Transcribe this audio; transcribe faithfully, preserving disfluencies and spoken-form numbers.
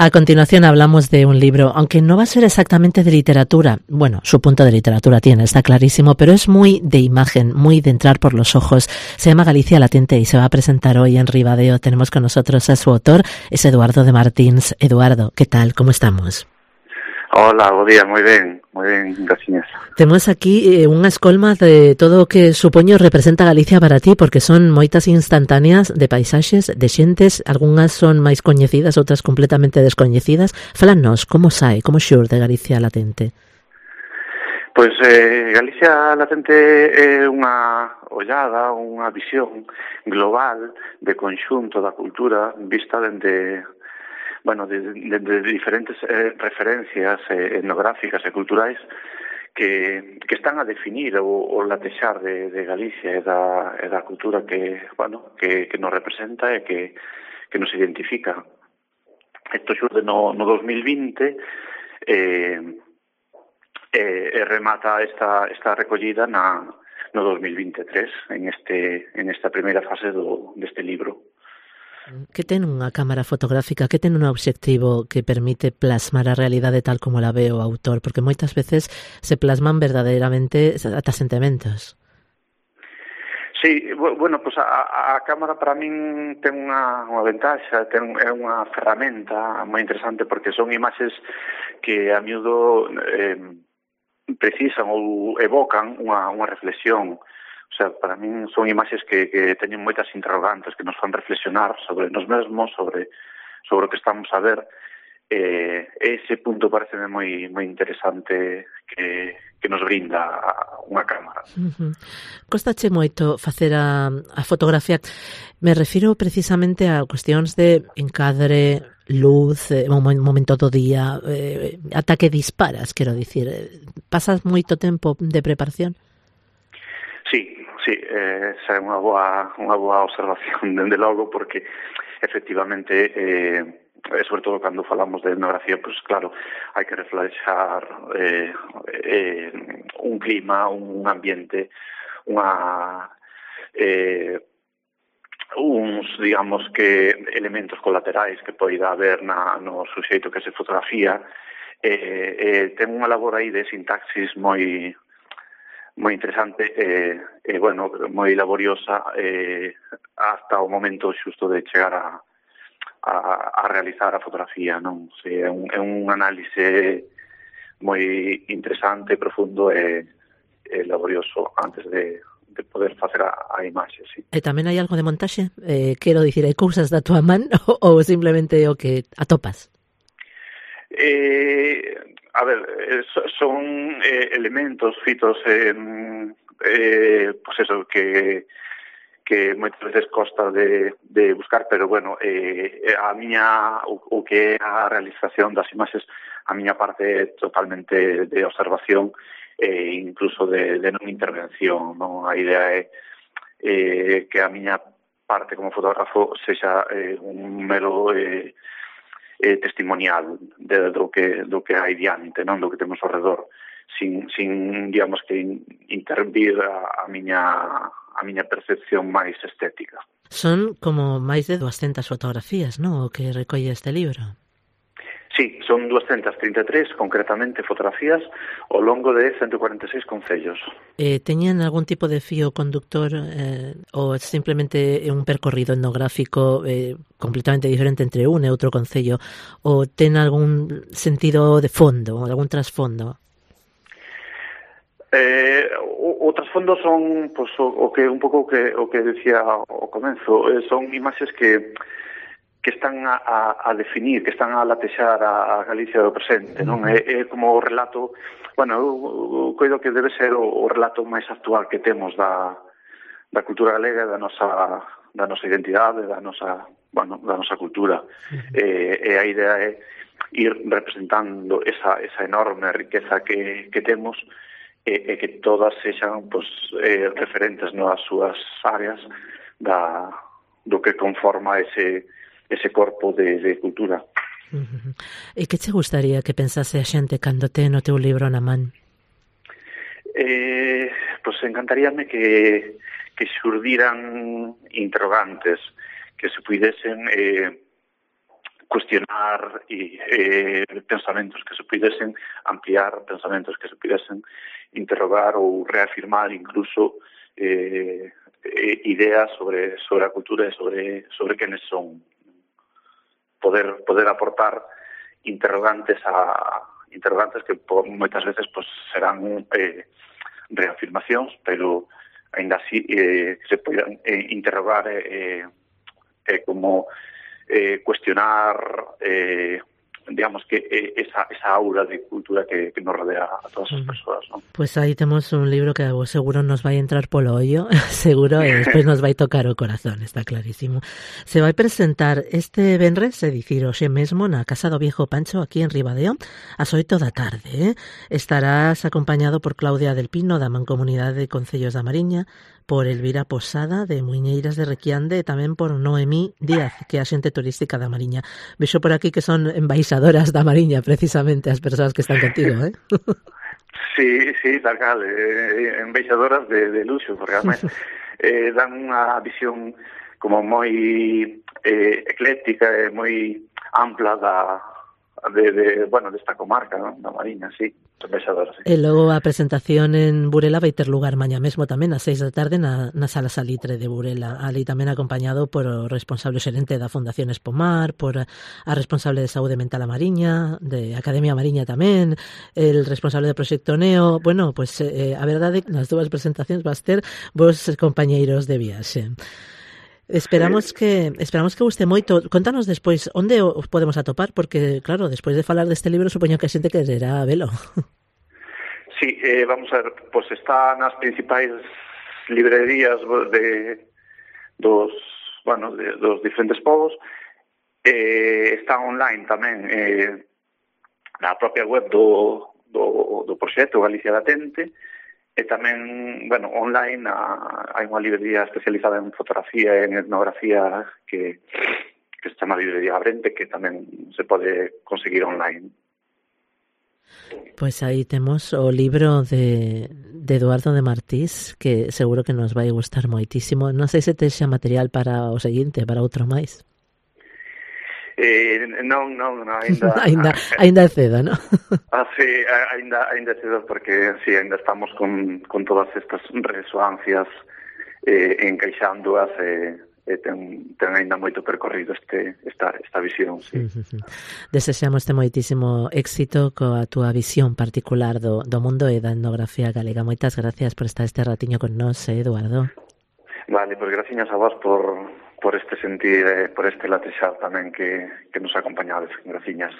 A continuación hablamos de un libro, aunque no va a ser exactamente de literatura. Bueno, su punto de literatura tiene, está clarísimo, pero es muy de imagen, muy de entrar por los ojos. Se llama Galicia latente y se va a presentar hoy en Ribadeo. Tenemos con nosotros a su autor, es Eduardo de Martins. Eduardo, ¿qué tal? ¿Cómo estamos? Hola, bo día, moi ben, moi ben, gracias. Temos aquí eh, unha escolma de todo o que supoño representa Galicia para ti, porque son moitas instantáneas de paisaxes, de xentes, algunhas son máis coñecidas, outras completamente descoñecidas. Fálanos, como sae, como xurde Galicia latente? Pois eh, Galicia latente é unha ollada, unha visión global de conxunto da cultura vista dende... bueno, de, de, de diferentes eh, referencias eh, etnográficas e culturais que, que están a definir o, o latexar de, de Galicia e da, e da cultura que, bueno, que, que nos representa e que, que nos identifica. Isto xurde no, no dos mil vinte e, e, e remata esta, esta recollida na, no dos mil veintitrés en, este, en esta primeira fase do, deste libro. Que ten unha cámara fotográfica, que ten un obxectivo que permite plasmar a realidade tal como la ve o autor, porque moitas veces se plasman verdadeiramente ata sentimentos. Sí, bueno, pues a, a cámara para min ten unha, unha ventaxa, ten, é unha ferramenta moi interesante porque son imaxes que a miúdo eh, precisan ou evocan unha, unha reflexión. O sea, para min son imaxes que, que teñen moitas interrogantes que nos fan reflexionar sobre nos mesmos, sobre sobre o que estamos a ver. Eh, ese punto pareceme moi moi interesante que, que nos brinda unha cámara. Uh-huh. Costache moito facer a, a fotografía. Me refiro precisamente a cuestións de encadre, luz, eh, un momento do día, eh, ata que disparas, quero dicir. Pasas moito tempo de preparación? Sí, sí, eh, esa é unha boa, unha boa observación, dende logo, porque efectivamente, eh, sobre todo cando falamos de etnografía, pues claro, hai que reflexar eh, eh, un clima, un ambiente, unha... Eh, uns, digamos, que elementos colaterais que poida haber na, no suxeito que se fotografía. Eh, eh, ten unha labor aí de sintaxis moi... moi interesante e, eh, eh, bueno, moi laboriosa eh, hasta o momento xusto de chegar a, a, a realizar a fotografía, non? Si, é, un, é un análise moi interesante, profundo e, e laborioso antes de, de poder facer a, a imaxe, sí. E tamén hai algo de montaxe? Eh, quero dicir, hai cousas da tua man ou simplemente o que atopas? Eh... A ver, son eh, elementos fitos en, eh, pues eso, que que moitas veces costa de, de buscar, pero bueno, eh, a miña, o, o que é a realización das imaxes, a miña parte é totalmente de observación e eh, incluso de, de non intervención, non? A idea é eh, que a miña parte como fotógrafo sexa eh, un mero... Eh, eh, testimonial de, do que do que hai diante, non, do que temos ao redor, sin sin digamos que in, intervir a, a miña a miña percepción máis estética. Son como máis de doscientas fotografías, non, o que recolle este libro? Sí, son doscientas trinta e tres, concretamente, fotografías ao longo de ciento cuarenta e seis concellos. Eh, teñen algún tipo de fío conductor eh, ou simplemente é un percorrido etnográfico eh, completamente diferente entre un e outro concello, ou ten algún sentido de fondo, algún trasfondo? Eh, o, o trasfondo son pues, o, o que un pouco o que, o que decía ao comenzo, eh, son imaxes que que están a, a, a definir, que están a latexar a, a Galicia do presente, non? É, é como o relato, bueno, eu coido que debe ser o, o relato máis actual que temos da, da cultura galega, da nosa, da nosa identidade, da nosa, bueno, da nosa cultura. Uh-huh. E, e a idea é ir representando esa, esa enorme riqueza que, que temos e, e que todas sexan pues, eh, referentes nas súas áreas da, do que conforma ese ese corpo de, de cultura. Uh-huh. E que che gustaría que pensase a xente cando te no teu libro na man? Eh, pois pues encantaríame que, que xurdiran interrogantes, que se puidesen eh, cuestionar e eh, pensamentos que se pudesen ampliar, pensamentos que se pudesen interrogar ou reafirmar incluso eh, ideas sobre sobre a cultura e sobre sobre quenes son. Poder poder aportar interrogantes a interrogantes que por, moitas veces pues, serán eh, reafirmacións, pero ainda así eh, se poden eh, interrogar eh, eh, como eh, cuestionar eh, digamos que eh, esa, esa aura de cultura que, que nos rodea a todas as persoas, ¿no? Pues aí temos un libro que vos seguro nos vai entrar polo ollo, seguro, e despois nos vai tocar o corazón, está clarísimo. Se vai presentar este venres, é dicir, hoxe mesmo na Casa do Viejo Pancho, aquí en Ribadeo, ás oito da tarde. Eh? Estarás acompañado por Claudia del Pino, da Mancomunidade de Concellos da Mariña, por Elvira Posada, de Muiñeiras de Requiande, e tamén por Noemí Díaz, que é a xente turística da Mariña. Vexo por aquí que son embaixadoras da Mariña, precisamente, as persoas que están contigo, eh? Sí, sí, tal cal, eh, embaixadoras de, de luxo, porque además eh, dan unha visión como moi eh, ecléctica e moi ampla da de, de bueno, desta comarca, ¿no? Da Mariña, sí. Embaixadoras, sí. E logo a presentación en Burela vai ter lugar mañá mesmo tamén ás seis da tarde na, na Sala Salitre de Burela, ali tamén acompañado por o responsable xerente da Fundación Espomar, por a responsable de Saúde Mental a Mariña, de Academia Mariña tamén, el responsable do Proxecto Neo. Bueno, pues eh, a verdade nas dúas presentacións vas ter vos compañeiros de viaxe. Esperamos que esperamos que guste moito. Contanos despois onde os podemos atopar, porque claro, despois de falar deste libro supoño que a xente quererá velo. Sí, eh, vamos a ver, pois pues está nas principais librerías de dos, bueno, de, dos diferentes povos. Eh, está online tamén eh, na propia web do do do proxecto Galicia Latente. E tamén, bueno, online a, hai unha librería especializada en fotografía e en etnografía que, que se chama Librería Abrente, que tamén se pode conseguir online. Pois aí temos o libro de, de Eduardo de Martís, que seguro que nos vai gustar moitísimo. Non sei se tes xa material para o seguinte, para outro máis. Eh, non, non, non, ainda... ainda, ainda é cedo, non? Ah, sí, ainda, ainda é cedo, porque sí, ainda estamos con, con todas estas resoancias eh, encaixándoas e eh, ten, ten ainda moito percorrido este, esta, esta visión, sí. Uh-huh. Desexamos te moitísimo éxito coa túa visión particular do, do mundo e da etnografía galega. Moitas gracias por estar este ratiño con nós, eh, Eduardo. Vale, pois graciñas a vos por... por este sentir, eh, por este latexar tamén que, que nos acompañades. Graciñas.